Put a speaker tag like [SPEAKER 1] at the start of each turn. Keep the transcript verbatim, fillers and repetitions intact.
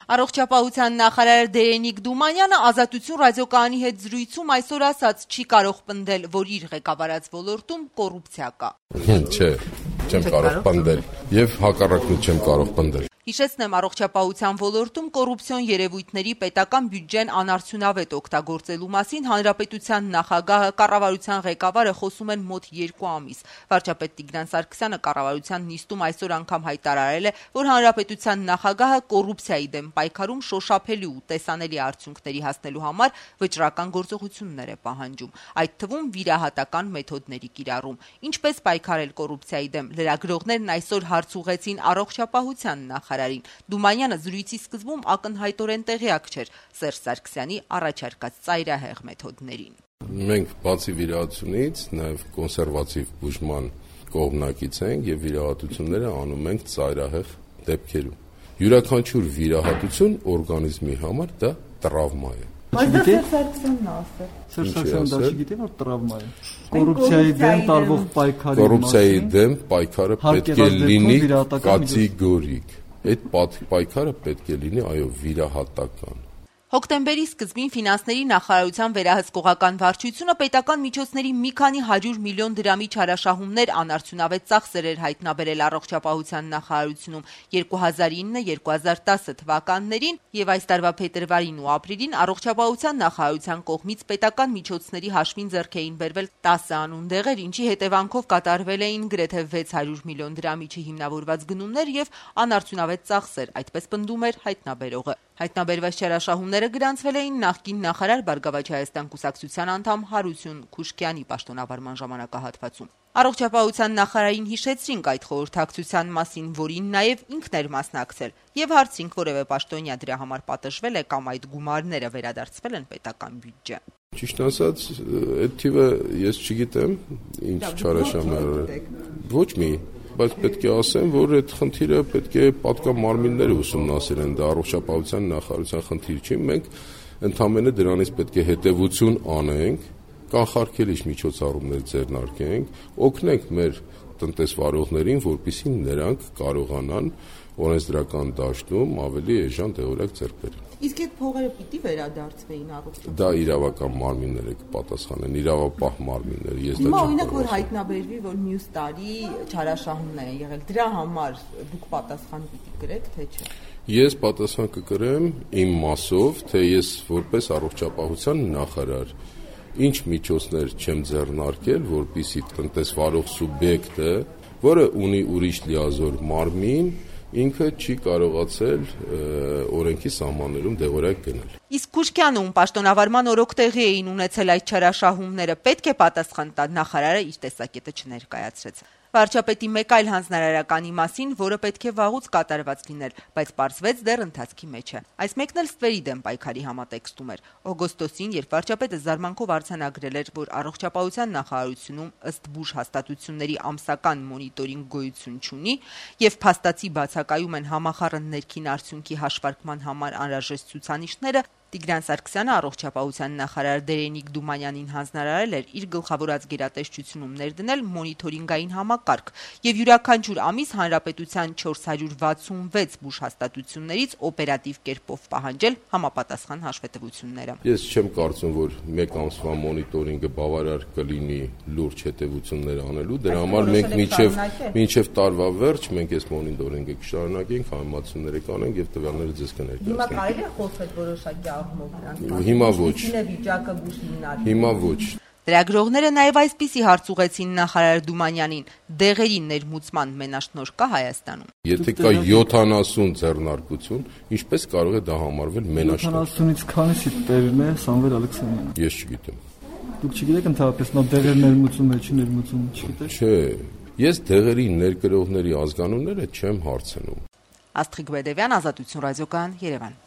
[SPEAKER 1] Առողջապահության նախարար Դերենիկ Դումանյանը Ազատություն ռադիոկայանի հետ զրույցում այսօր ասաց, չի կարող պնդել, որ իր ղեկավարած ոլորտում կոռուպցիա կա։
[SPEAKER 2] Չէ, չեմ կարող պնդել եւ հակառակն չեմ կարող պնդել։
[SPEAKER 1] Հիշեցնեմ, առողջապահության ոլորտում կոռուպցիոն երևույթների պետական բյուջեն անարդյունավետ օգտագործելու մասին հանրապետության նախագահը, կառավարության ղեկավարը խոսում են մոտ երկու ամիս։ Վարչապետ Տիգրան Սարգսյանը կառավարության նիստում այսօր անգամ հայտարարել է, որ հանրապետության նախագահը կոռուպցիայի դեմ պայքարում շոշափելի ու տեսանելի արդյունքների հասնելու համար վճռական գործողություններ է պահանջում, այդ թվում վիրահատական մեթոդների կիրառում։ Ինչպես պայքարել կոռուպցիայի դեմ, լրագրողներն այսօր հարց ուղղեցին առողջապահության նախարարին։ Դումանյանը զրույցի սկզբում ակնհայտորեն տեղյակ չէր Սերժ Սարգսյանի առաջարկած ծայրահեղ մեթոդներին։
[SPEAKER 2] Մենք բացի վիրահատությունից նաև կոնսերվատիվ բուժման կողմնակից ենք եւ վիրահատությունները անում ենք ծայրահեղ դեպքերում։ Յուրաքանչյուր վիրահատություն օրգանիզմի համար դա տրավմա է։
[SPEAKER 3] Բայց դա Սերժ Սարգսյանն է ասել։
[SPEAKER 4] Սերժ Սարգսյանը դա չգիտի, որ տրավմա է։ Կոռուպցիայի դեմ տարվող պայքարի
[SPEAKER 2] Կոռուպցիայի դեմ պայքարը պետք է լինի կատեգորիկ։ Այդ պայքարը պետք է լինի, այո, վիրահատական։
[SPEAKER 1] Հոկտեմբերի սկզբին ֆինանսների նախարարության վերահսկողական վարչությունը պետական միջոցների մի քանի հարյուր միլիոն դրամի չարաշահումներ անարդյունավետ ծախսեր էր հայտնաբերել առողջապահության նախարարությունում երկու հազար ինը երկու հազար տասը թվականներին եւ այս տարվա փետրվարին ու ապրիլին առողջապահության նախարարության կողմից պետական միջոցների հաշվին ձեռք էին բերվել տասը անուն դեղեր, ինչի հետևանքով կատարվել էին գրեթե վեց հարյուր միլիոն դրամի չհիմնավորված գնումներ եւ անարդյունավետ ծախսեր, այդպես պնդում էր հայտնաբերողը։ Հայտնաբերված չարաշահումները գրանցվել էին նախկին նախարար Բարգավաճ Հայաստան կուսակցության անդամ Հարություն Քուշկյանի պաշտոնավարման ժամանակահատվածում։ Առողջապահության նախարարին հիշեցրինք այդ խորհրդակցության մասին, որին նաև ինքն էր մասնակցել, եւ հարցինք որևէ պաշտոնյա դրա համար պատժվել է կամ այդ գումարները վերադարձվել են պետական բյուջե։
[SPEAKER 2] Ճիշտ ասած, այդ թիվը ես չգիտեմ, ինչ չարաշահումներ։ Ոչ մի բայց պետք է ասեմ, որ այդ խնդիրը պետք է պատկան մարմինները ուսումնասիրեն, դա առողջապահության նախարարության խնդիր չի, մենք ընդհանրապես դրանից պետք է հետևություն անենք, կանխարգելիչ միջոցառումներ ձեռնարկենք, օգնենք մեր տնտեսվարողներին, որպեսզի նրանք կարողանան օրենսդրական դաշտում ավելի էժան դեղորայք ձեռք բերել։
[SPEAKER 3] Իսկ այդ փողերը պիտի վերադարձվեին առողջապահության։
[SPEAKER 2] Դա իրավական մարմինները կպատասխանեն, իրավապահ մարմինները։ Ես դա
[SPEAKER 3] չեմ օրինակ որ հայտնաբերվի, որ մյուս տարի չարաշահումներ են եղել, դրա համար դուք պատասխան պիտի կրեք, թե չէ։
[SPEAKER 2] Ես պատասխան կկրեմ իմ մասով, թե ես որպես առողջապահության նախարար ինչ միջոցներ չեմ ձեռնարկել, որպեսզի տնտեսվարող սուբյեկտը, որը ունի ուրիշ լիազոր մարմին, ինքը չի կարողացել օրենքի սահմաններում դեղորայք գնել։
[SPEAKER 1] Իսկ Քուշկյանում պաշտոնավարման օրոք տեղի էին ունեցել այդ չարաշահումները, պետք է պատասխան տա, նախարարը իր տեսակետը չներկայացրեց։ Վարչապետի մեկ այլ հանձնարարականի մասին, որը պետք է վաղուց կատարված լիներ, բայց պարզվեց դեռ ընթացքի մեջ է։ Այս մեկն էլ ստվերի դեմ պայքարի համատեքստում էր։ Օգոստոսին, երբ վարչապետը զարմանքով արձանագրել էր, որ առողջապահության նախարարությունում ըստ բուժ հաստատությունների ամսական մոնիտորինգ գոյություն չունի, եւ փաստացի բացակայում են համախառն ներքին արդյունքի հաշվարկման համար անհրաժեշտ ցուցանիշները, Տիգրան Սարգսյանը առողջապահության նախարար Դերենիկ Դումանյանին հանձնարարել էր իր գլխավորած գերատեսչությունում ներդնել մոնիտորինգային համակարգ եւ յուրաքանչյուր ամիս հանրապետության չորս հարյուր վաթսունվեց բուժհաստատություններից օպերատիվ կերպով պահանջել համապատասխան հաշվետվությունները։
[SPEAKER 2] Ես չեմ կարծում, որ մեկ ամսվա մոնիտորինգը բավարար կլինի լուրջ հետևություններ անելու, դրա համար մենք մինչեւ մինչեւ տարվա վերջ մենք այս մոնիտորինգը կշարունակենք, համեմատությունները կանենք եւ տվյալները ձեզ կներկայացնենք։
[SPEAKER 3] Հիմա կարելի է խոսել որոշակի
[SPEAKER 2] Հիմա ոչ։ Հիմա ոչ։
[SPEAKER 1] Լրագրողները նաև այսպիսի հարց ուղղեցին նախարար Դումանյանին. դեղերի ներմուծման մենաշնորհ կա Հայաստանում։
[SPEAKER 2] Եթե կա յոթանասուն ձեռնարկություն, ինչպես կարող է դա համարվել մենաշնորհ։
[SPEAKER 4] յոթանասունից քանիսի տերն է Սամվել Ալեքսանյանը։
[SPEAKER 2] Ես չգիտեմ։
[SPEAKER 4] Դուք չգիտեք ընդհանրապես նա դեղեր ներմուծում է, չի ներմուծում, չգիտեք։
[SPEAKER 2] Չէ, ես դեղերի ներկրողների ազգանունները չեմ հարցնում։
[SPEAKER 1] Աստղիկ Բեդևյան, Ազատություն ռադիոկայան, Երևան։